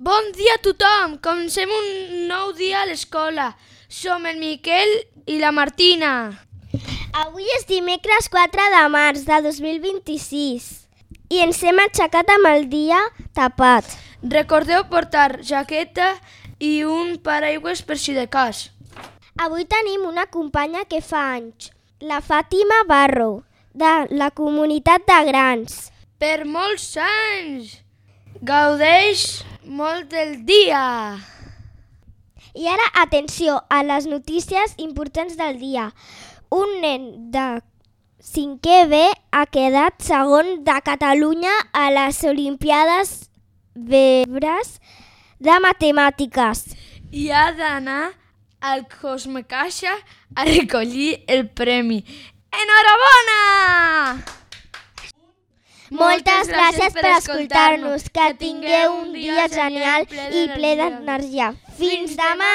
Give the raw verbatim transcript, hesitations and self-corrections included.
Bon dia a tothom! Comencem un nou dia a l'escola. Som el Miquel i la Martina. Avui és dimecres quatre de març de dos mil vint-i-sis i ens hem aixecat amb el dia tapat. Recordeu portar jaqueta i un paraigües per si de cas. Avui tenim una companya que fa anys, la Fàtima Barro, de la comunitat de grans. Per molts anys! Gaudeix molt del dia! I ara, atenció a les notícies importants del dia. Un nen de cinquè B ha quedat segon de Catalunya a les Olimpiades Bebres de Matemàtiques. I ha d'anar al Cosmecaixa a recollir el premi. Enhorabona! Moltes gràcies per escoltar-nos. Que tingueu un dia genial i ple d'energia. Fins demà!